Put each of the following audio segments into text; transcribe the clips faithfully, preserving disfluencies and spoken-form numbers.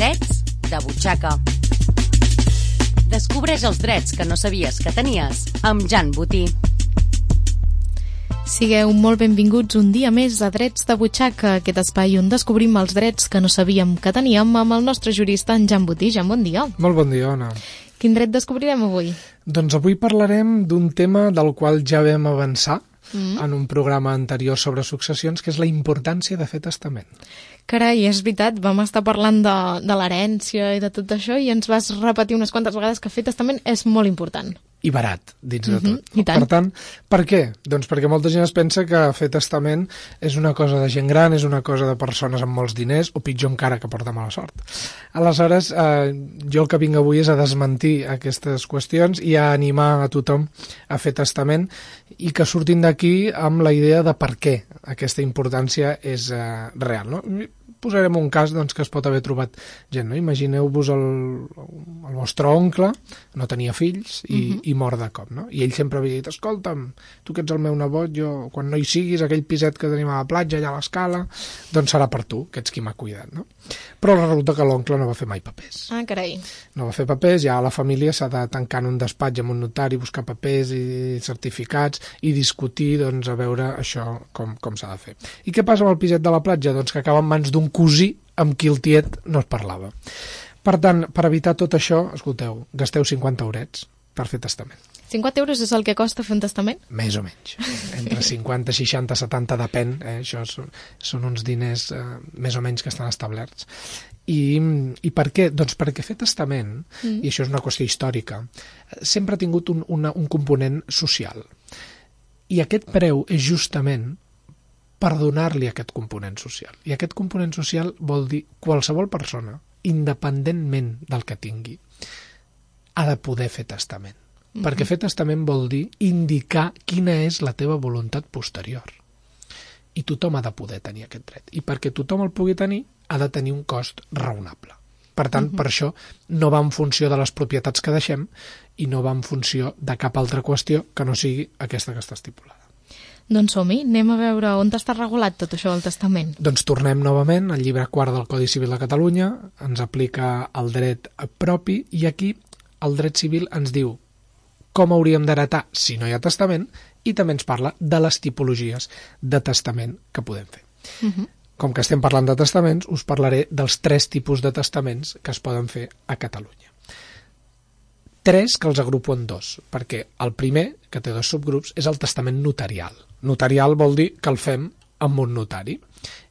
Drets de butxaca. Descobreix els drets que no sabies que tenies amb Jan Botí. Sigueu molt benvinguts un dia més a Drets de butxaca, aquest espai on descobrim els drets que no sabíem que teníem amb el nostre jurista, en Jan Botí. Jan, bon dia. Molt bon dia, Ona. Quin dret descobrirem avui? Doncs avui parlarem d'un tema del qual ja vam avançar Mm. en un programa anterior sobre successions, que és la importància de fer testament. Carai, és veritat, vam estar parlant de, de l'herència i de tot això i ens vas repetir unes quantes vegades que fer testament és molt important. I barat, dins de Mhm, tot. i tant. Per tant, per què? Doncs perquè molta gent es pensa que fer testament és una cosa de gent gran, és una cosa de persones amb molts diners, o pitjor encara, que porta mala sort. Aleshores, eh, jo el que vinc avui és a desmentir aquestes qüestions i a animar a tothom a fer testament i que surtin d'aquí amb la idea de per què aquesta importància és eh, real, no? Posarem un cas doncs, que es pot haver trobat gent, no? Imagineu-vos el, el vostre oncle, no tenia fills i, uh-huh. i mor de cop, no? I ell sempre havia dit, escolta'm, tu que ets el meu nebot, jo, quan no hi siguis, aquell piset que tenim a la platja, allà a l'escala, doncs serà per tu, que ets qui m'ha cuidat, no? Però resulta que l'oncle no va fer mai papers. Ah, carai. No va fer papers, ja la família s'ha de tancar en un despatx amb un notari, buscar papers i certificats i discutir, doncs, a veure això com, com s'ha de fer. I què passa amb el piset de la platja? Doncs que acaba en mans d'un cosí amb qui el tiet no es parlava. Per tant, per evitar tot això, escolteu, gasteu cinquanta eurets per fer testament. cinquanta euros és el que costa fer un testament? Més o menys. Entre cinquanta, seixanta, setanta, depèn. Eh? Això són, són uns diners eh, més o menys que estan establerts. I, i per què? Doncs perquè fer testament, mm. i això és una qüestió històrica, sempre ha tingut un, una, un component social. I aquest preu és justament per donar-li aquest component social. I aquest component social vol dir qualsevol persona, independentment del que tingui, ha de poder fer testament. Mm-hmm. Perquè fer testament vol dir indicar quina és la teva voluntat posterior. I tothom ha de poder tenir aquest dret. I perquè tothom el pugui tenir, ha de tenir un cost raonable. Per tant, mm-hmm. per això no va en funció de les propietats que deixem i no va en funció de cap altra qüestió que no sigui aquesta que està estipulada. Doncs som-hi, anem a veure on està regulat tot això del testament. Doncs tornem novament al llibre quart del Codi Civil de Catalunya, ens aplica el dret propi i aquí el dret civil ens diu com hauríem d'heretar si no hi ha testament i també ens parla de les tipologies de testament que podem fer. Uh-huh. Com que estem parlant de testaments, us parlaré dels tres tipus de testaments que es poden fer a Catalunya. Tres que els agrupo en dos, perquè el primer, que té dos subgrups, és el testament notarial. Notarial vol dir que el fem amb un notari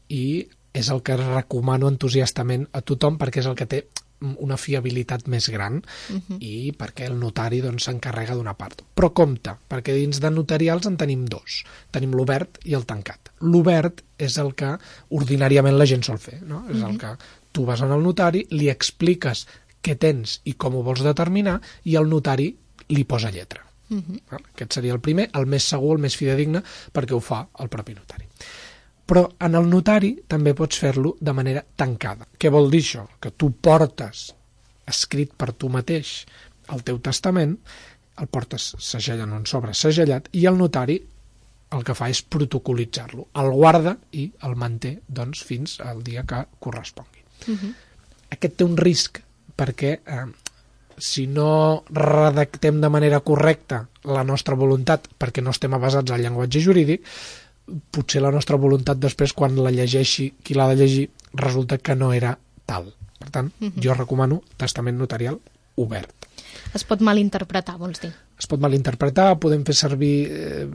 i és el que recomano entusiastament a tothom perquè és el que té una fiabilitat més gran uh-huh. i perquè el notari doncs, s'encarrega d'una part. Però compte, perquè dins de notarials en tenim dos. Tenim l'obert i el tancat. L'obert és el que ordinàriament la gent sol fer, no? És uh-huh. el que tu vas al notari, li expliques què tens i com ho vols determinar i el notari li posa lletra. Uh-huh. Aquest seria el primer, el més segur, el més fidedigne, perquè ho fa el propi notari. Però en el notari també pots fer-lo de manera tancada. Què vol dir això? Que tu portes escrit per tu mateix el teu testament, el portes segellant en un sobre segellat i el notari el que fa és protocolitzar-lo. El guarda i el manté doncs, fins al dia que correspongui. Uh-huh. Aquest té un risc perquè eh, si no redactem de manera correcta la nostra voluntat perquè no estem avasats al llenguatge jurídic, potser la nostra voluntat després quan la llegeixi qui l'ha de llegir resulta que no era tal. Per tant, uh-huh. jo recomano testament notarial obert. Es pot malinterpretar, vols dir? Es pot malinterpretar, podem fer servir eh,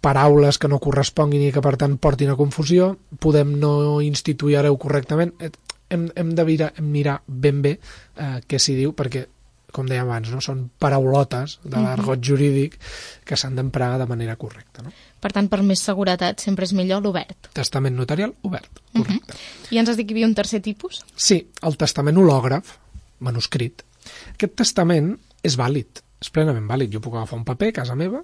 paraules que no corresponguin i que per tant portin a confusió, podem no instituir hereu correctament, hem, hem de mirar, mirar ben bé eh, què s'hi diu perquè com dèiem abans, no? Són paraulotes de l'argot jurídic que s'han d'emprar de manera correcta. No? Per tant, per més seguretat, sempre és millor l'obert. Testament notarial obert, correcte. Uh-huh. I ens has dit que hi havia un tercer tipus? Sí, el testament hològraf, manuscrit. Aquest testament és vàlid, és plenament vàlid. Jo puc agafar un paper a casa meva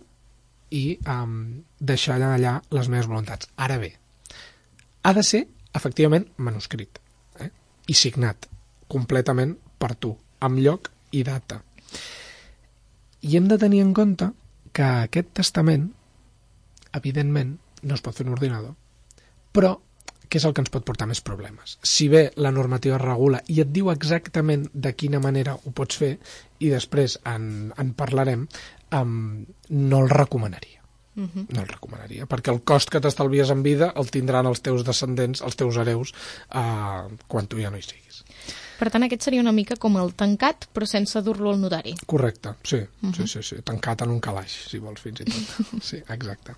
i um, deixar allà les meves voluntats. Ara bé, ha de ser, efectivament, manuscrit eh? i signat completament per tu, amb lloc i data. I hem de tenir en compte que aquest testament, evidentment, no es pot fer en ordinador, però què és el que ens pot portar més problemes? Si bé la normativa regula i et diu exactament de quina manera ho pots fer, i després en, en parlarem, um, no el recomanaria. Uh-huh. No el recomanaria, perquè el cost que t'estalvies en vida el tindran els teus descendents, els teus hereus, uh, quan tu ja no hi siguis. Per tant, aquest seria una mica com el tancat, però sense dur-lo al notari. Correcte, sí, uh-huh. sí, sí, sí, tancat en un calaix, si vols, fins i tot. Sí, exacte.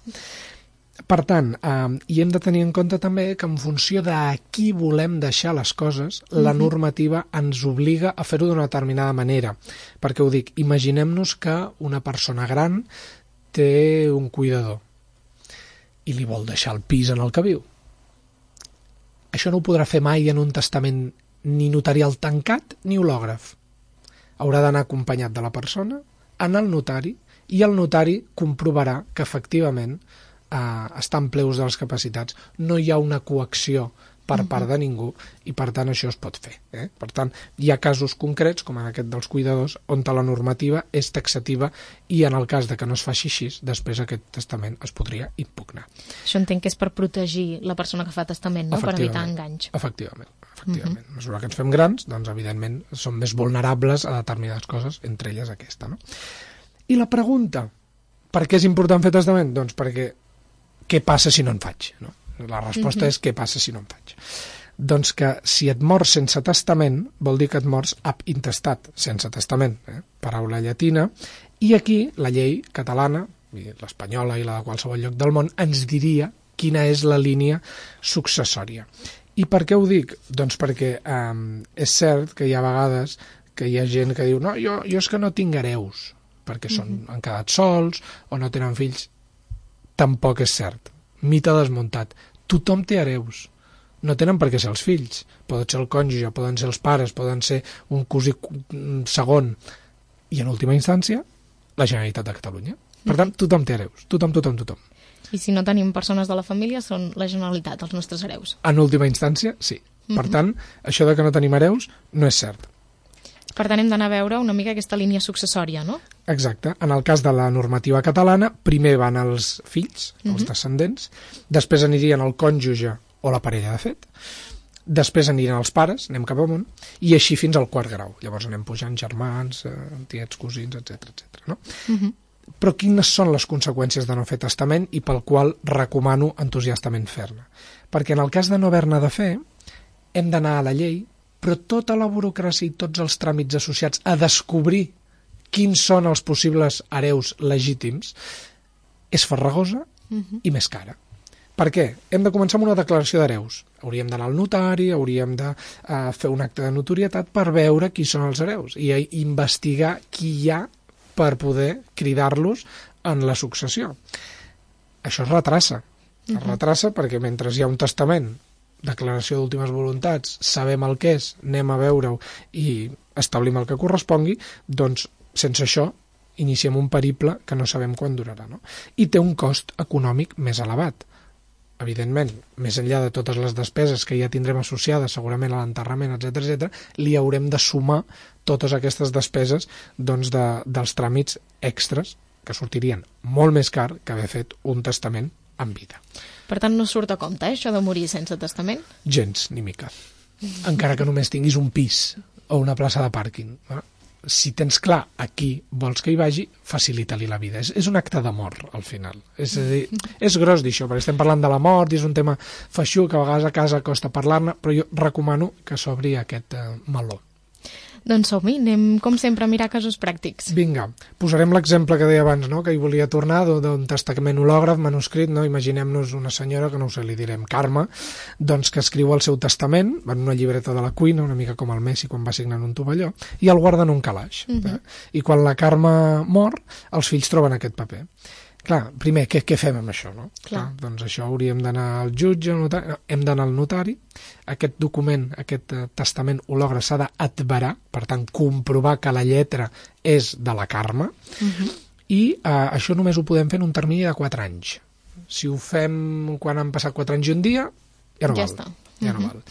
Per tant, eh, i hem de tenir en compte també que en funció de a qui volem deixar les coses, uh-huh. la normativa ens obliga a fer-ho d'una determinada manera. Perquè ho dic, imaginem-nos que una persona gran té un cuidador i li vol deixar el pis en el que viu. Això no ho podrà fer mai en un testament ni notarial tancat ni hològraf. Haurà d'anar acompanyat de la persona, anar al notari, i el notari comprovarà que efectivament eh, està en ple ús de les capacitats. No hi ha una coacció per part de ningú, i per tant això es pot fer. Eh? Per tant, hi ha casos concrets, com en aquest dels cuidadors, on la normativa és taxativa, i en el cas de que no es faci així, després aquest testament es podria impugnar. Això entenc que és per protegir la persona que fa testament, no? Per evitar enganys. Efectivament. Efectivament. Uh-huh. A mesura que ens fem grans, doncs evidentment som més vulnerables a determinades coses, entre elles aquesta. No? I la pregunta, per què és important fer testament? Doncs perquè què passa si no en faig? No? La resposta uh-huh. és què passa si no en faig. Doncs que si et mors sense testament, vol dir que et mors ab intestat, sense testament, eh? Paraula llatina, i aquí la llei catalana, i l'espanyola i la de qualsevol lloc del món, ens diria quina és la línia successòria. I per què ho dic? Doncs perquè eh, és cert que hi ha vegades que hi ha gent que diu no, jo, jo és que no tinc hereus, perquè són, uh-huh. han quedat sols o no tenen fills. Tampoc és cert. Mite desmuntat. Tothom té hereus. No tenen per què ser els fills. Poden ser el cònjuge, poden ser els pares, poden ser un cosí segon. I en última instància, la Generalitat de Catalunya. Per tant, tothom té hereus. Tothom, tothom, tothom. I si no tenim persones de la família, són la Generalitat, els nostres hereus. En última instància, sí. Per uh-huh. tant, això de que no tenim hereus no és cert. Per tant, hem d'anar a veure una mica aquesta línia successòria, no? Exacte. En el cas de la normativa catalana, primer van els fills, els uh-huh. descendents, després anirien el cònjuge o la parella de fet, després anirien els pares, anem cap amunt, i així fins al quart grau. Llavors anem pujant germans, eh, tiets, cosins, etcètera, etcètera. No? Uh-huh. Però quines són les conseqüències de no fer testament i pel qual recomano entusiastament fer-ne? Perquè en el cas de no haver-ne de fer, hem d'anar a la llei, però tota la burocràcia i tots els tràmits associats a descobrir quins són els possibles hereus legítims és farragosa uh-huh. i més cara. Per què? Hem de començar amb una declaració d'hereus. Hauríem d'anar al notari, hauríem de uh, fer un acte de notorietat per veure qui són els hereus i uh, investigar qui hi ha per poder cridar-los en la successió. Això es retrassa. Es uh-huh. retrassa perquè mentre hi ha un testament, declaració d'últimes voluntats, sabem el que és, anem a veure-ho i establim el que correspongui, doncs sense això iniciem un periple que no sabem quan durarà. No? I té un cost econòmic més elevat. Evidentment, més enllà de totes les despeses que ja tindrem associades segurament a l'enterrament, etcètera, etcètera, li haurem de sumar totes aquestes despeses doncs, de, dels tràmits extras que sortirien molt més car que haver fet un testament en vida. Per tant, no surt a compte, eh, això de morir sense testament? Gens, ni mica. Encara que només tinguis un pis o una plaça de pàrquing. Eh? Si tens clar a qui vols que hi vagi, facilita-li la vida. És, és un acte d'amor, al final. És a dir, és gros dir això, perquè estem parlant de la mort i és un tema feixuc, que a vegades a casa costa parlar-ne, però jo recomano que s'obri aquest eh, meló. Doncs som-hi, anem com sempre a mirar casos pràctics. Vinga, posarem l'exemple que deia abans, no? Que hi volia tornar, d'un testament hològraf, manuscrit, no? Imaginem-nos una senyora, que no ho sé, li direm Carme, doncs que escriu el seu testament en una llibreta de la cuina, una mica com el Messi quan va signar en un tovalló, i el guarda en un calaix. Uh-huh. eh? I quan la Carme mor, els fills troben aquest paper. Clar, primer, què, què fem amb això? No? Clar. Clar, doncs això hauríem d'anar al jutge, al notari, no, hem d'anar al notari, aquest document, aquest eh, testament hològraf s'ha d'adverar, per tant, comprovar que la lletra és de la Carme, uh-huh. i eh, això només ho podem fer en un termini de quatre anys. Si ho fem quan han passat quatre anys i un dia, ja no ja val. Està. Ja uh-huh. no val.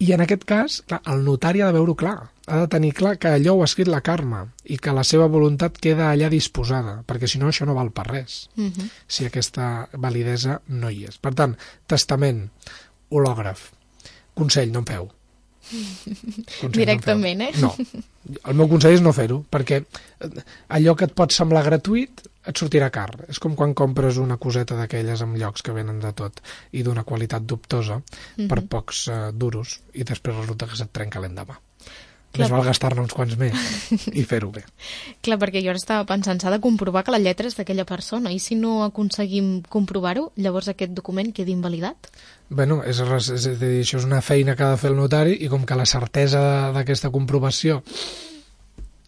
I en aquest cas, clar, el notari ha de veure-ho clar, ha de tenir clar que allò ho ha escrit la Carme i que la seva voluntat queda allà disposada, perquè si no això no val per res, uh-huh. si aquesta validesa no hi és. Per tant, testament hològraf. Consell, no en feu. Consell, directament, no eh? No. El meu consell és no fer-ho, perquè allò que et pot semblar gratuït et sortirà car. És com quan compres una coseta d'aquelles en llocs que venen de tot i d'una qualitat dubtosa mm-hmm. per pocs uh, duros i després resulta que se't trenca l'endemà. Clar. Més val gastar-ne uns quants més i fer-ho bé. Clar, perquè jo ara estava pensant, s'ha de comprovar que la lletra és d'aquella persona, i si no aconseguim comprovar-ho, llavors aquest document queda invalidat? Bueno, és, és, és, és, això és una feina que ha de fer el notari, i com que la certesa d'aquesta comprovació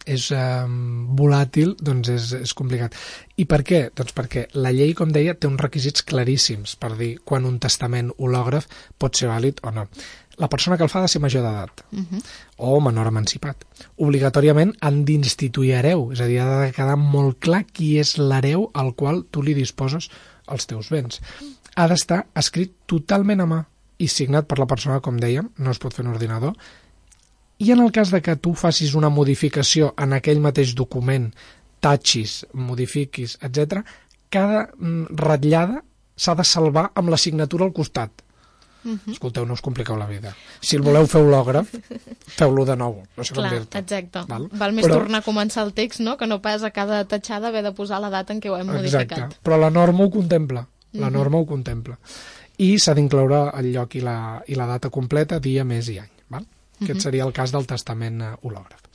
és um, volàtil, doncs és, és complicat. I per què? Doncs perquè la llei, com deia, té uns requisits claríssims per dir quan un testament hològraf pot ser vàlid o no. La persona que el fa ha de ser major d'edat uh-huh. o menor emancipat. Obligatòriament han d'instituir hereu, és a dir, ha de quedar molt clar qui és l'hereu al qual tu li disposes els teus béns. Ha d'estar escrit totalment a mà i signat per la persona, com dèiem, no es pot fer en ordinador, i en el cas de que tu facis una modificació en aquell mateix document, tatxis, modifiquis, etcètera, cada ratllada s'ha de salvar amb la signatura al costat. Uh-huh. Escolteu, no us compliqueu la vida. Si el voleu fer hològraf, feu-lo de nou. No sé Clar, com dir-te. exacte. Val, Val més però... tornar a començar el text, no?, que no pas a cada tatxada haver de posar la data en què ho hem modificat. Exacte, però la norma ho contempla. La norma uh-huh. ho contempla. I s'ha d'incloure el lloc i la, i la data completa, dia, mes i any. Val? Uh-huh. Aquest seria el cas del testament hològraf.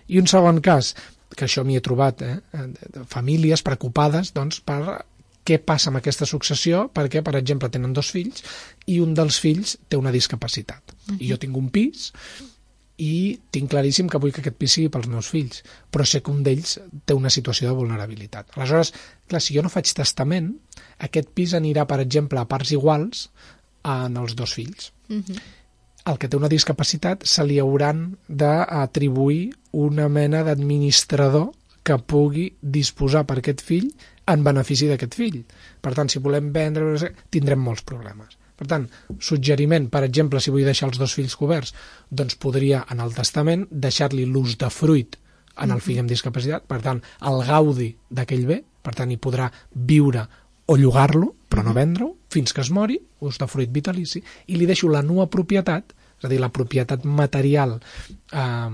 I un segon cas, que això m'hi he trobat, eh? famílies preocupades doncs, per què passa amb aquesta successió, perquè, per exemple, tenen dos fills i un dels fills té una discapacitat. Uh-huh. I jo tinc un pis i tinc claríssim que vull que aquest pis sigui pels meus fills, però sé que un d'ells té una situació de vulnerabilitat. Aleshores, clar, si jo no faig testament, aquest pis anirà, per exemple, a parts iguals en els dos fills. Uh-huh. El que té una discapacitat se li hauran d'atribuir una mena d'administrador que pugui disposar per aquest fill en benefici d'aquest fill. Per tant, si volem vendre, tindrem molts problemes. Per tant, suggeriment, per exemple, si vull deixar els dos fills coberts, doncs podria, en el testament, deixar-li l'ús de fruit en el fill amb discapacitat, per tant, el gaudi d'aquell bé, per tant, hi podrà viure o llogar-lo, però no vendre-ho, fins que es mori, ús de fruit vitalici, i li deixo la nua propietat, és a dir, la propietat material, eh,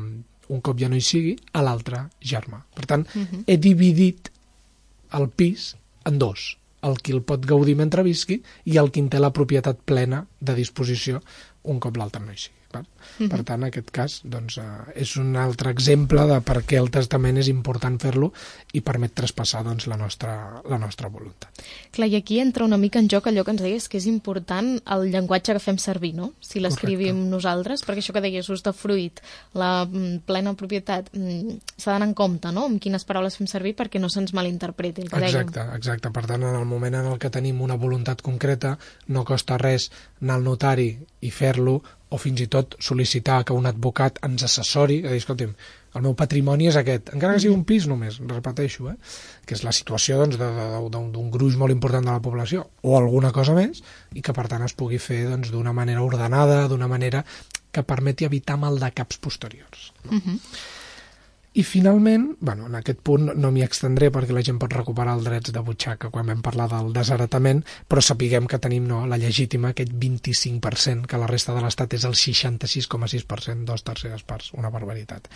un cop ja no hi sigui, a l'altre germà. Per tant, uh-huh. he dividit el pis en dos, el qui el pot gaudir mentre visqui i el qui en té la propietat plena de disposició un cop l'altre no hi sigui. Uh-huh. Per tant, en aquest cas, doncs, eh, és un altre exemple de per què el testament és important fer-lo i permet traspassar doncs, la, nostra, la nostra voluntat. Clar, i aquí entra una mica en joc allò que ens deies, que és important el llenguatge que fem servir, no? Si l'escrivim nosaltres, perquè això que deies, ús de fruit, la mm, plena propietat, mm, s'ha d'anar en compte, no?, amb quines paraules fem servir perquè no se'ns malinterpreti el que dèiem. Exacte, exacte. Per tant, en el moment en el que tenim una voluntat concreta, no costa res anar al notari i fer-lo, o fins i tot sol·licitar que un advocat ens assessori, a dir, escolti'm, el meu patrimoni és aquest, encara que sigui un pis només, repeteixo, eh? que és la situació doncs, d'un gruix molt important de la població, o alguna cosa més, i que per tant es pugui fer doncs, d'una manera ordenada, d'una manera que permeti evitar maldecaps posteriors. No? Uh-huh. I finalment, bueno, en aquest punt no m'hi extendré perquè la gent pot recuperar els drets de butxaca quan vam parlar del desheretament, però sapiguem que tenim no, la legítima, aquest vint-i-cinc per cent, que la resta de l'Estat és el seixanta-sis coma sis per cent, dos terceres parts, una barbaritat,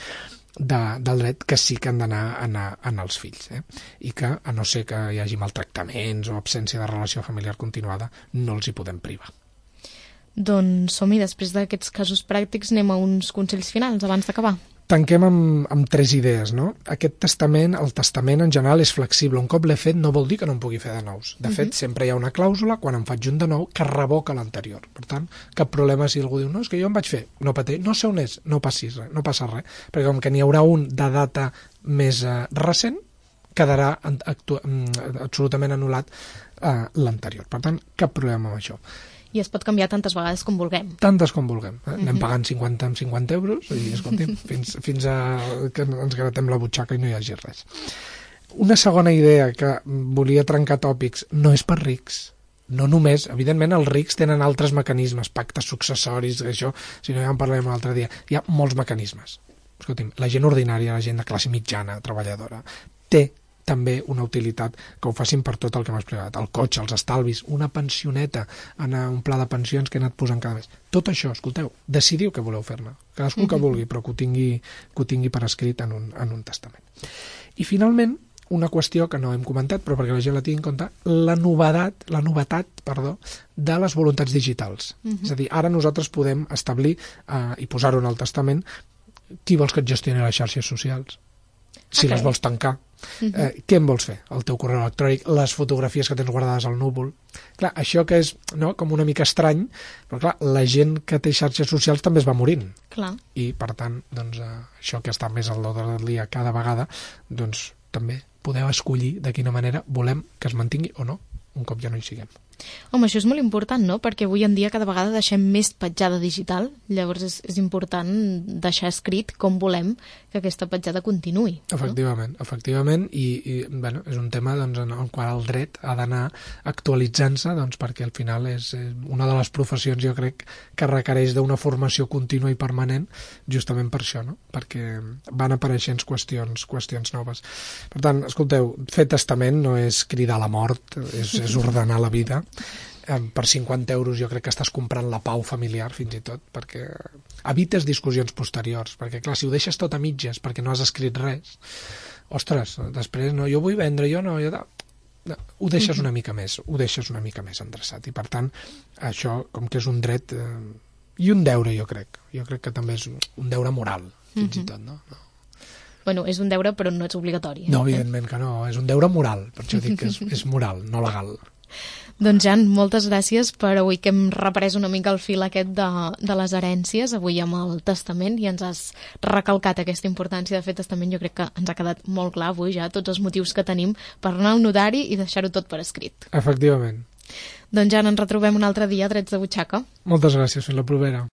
de, del dret que sí que han d'anar anar, anar als fills. Eh? I que, a no ser que hi hagi maltractaments o absència de relació familiar continuada, no els hi podem privar. Doncs som-hi, després d'aquests casos pràctics anem a uns consells finals abans d'acabar. Tanquem amb, amb tres idees, no? Aquest testament, el testament en general és flexible. Un cop l'he fet no vol dir que no en pugui fer de nous. De fet, uh-huh. sempre hi ha una clàusula, quan en faig un de nou, que revoca l'anterior. Per tant, cap problema si algú diu, no, és que jo em vaig fer, no pateix, no sé on és, no passis res, no passa res. Perquè com que n'hi haurà un de data més uh, recent, quedarà actu- absolutament anul·lat uh, l'anterior. Per tant, cap problema amb això. I es pot canviar tantes vegades com vulguem. Tantes com vulguem. Eh? Anem pagant cinquanta amb cinquanta euros i, escolti'm, fins, fins a que ens gratem la butxaca i no hi hagi res. Una segona idea que volia trencar tòpics, no és per rics. No només, evidentment els rics tenen altres mecanismes, pactes successoris, això, si no ja en parlarem l'altre dia. Hi ha molts mecanismes. Escolti'm, la gent ordinària, la gent de classe mitjana, treballadora, té també una utilitat que ho facin per tot el que m'ha explicat, el cotxe, els estalvis, una pensioneta, en un pla de pensions que he anat posant cada mes. Tot això, escolteu, decidiu què voleu fer-ne, cadascú que vulgui, però que ho tingui, que ho tingui per escrit en un, en un testament. I finalment, una qüestió que no hem comentat, però perquè la gent la tingui en compte, la novedat, la novetat, perdó, de les voluntats digitals. Uh-huh. És a dir, ara nosaltres podem establir eh, i posar-ho en el testament qui vols que et gestioni les xarxes socials, si okay. les vols tancar, uh-huh. eh, què en vols fer, el teu correu electrònic, les fotografies que tens guardades al núvol. Clar, això que és no, com una mica estrany, però clar, la gent que té xarxes socials també es va morint. Clar. I per tant, doncs, eh, això que està més al l'ordre del dia cada vegada, doncs també podeu escollir de quina manera volem que es mantingui o no, un cop ja no hi siguem. Home, això és molt important, no? Perquè avui en dia cada vegada deixem més petjada digital, llavors és, és important deixar escrit com volem que aquesta petjada continuï. Efectivament, no? efectivament, i, i bueno, és un tema doncs, en el qual el dret ha d'anar actualitzant-se, doncs, perquè al final és una de les professions, jo crec, que requereix d'una formació contínua i permanent, justament per això, no? Perquè van apareixent qüestions, qüestions noves. Per tant, escolteu, fer testament no és cridar a la mort, és, és ordenar la vida. Per cinquanta euros jo crec que estàs comprant la pau familiar, fins i tot, perquè evites discussions posteriors, perquè clar, si ho deixes tot a mitges perquè no has escrit res, ostres, després no, jo vull vendre, jo no, jo... No, ho deixes una mica més, ho deixes una mica més endreçat, i per tant, això, com que és un dret eh, i un deure, jo crec, jo crec que també és un deure moral, fins uh-huh. i tot, no? no? Bueno, és un deure, però no és obligatori. Eh? No, evidentment que no, és un deure moral, per això dic que és, és moral, no legal. Doncs Jan, moltes gràcies per avui que hem reprès una mica el fil aquest de, de les herències, avui amb el testament, i ens has recalcat aquesta importància de fer testament. Jo crec que ens ha quedat molt clar avui ja tots els motius que tenim per anar al notari i deixar-ho tot per escrit. Efectivament. Doncs Jan, ens retrobem un altre dia a Drets de Butxaca. Moltes gràcies, fins la propera.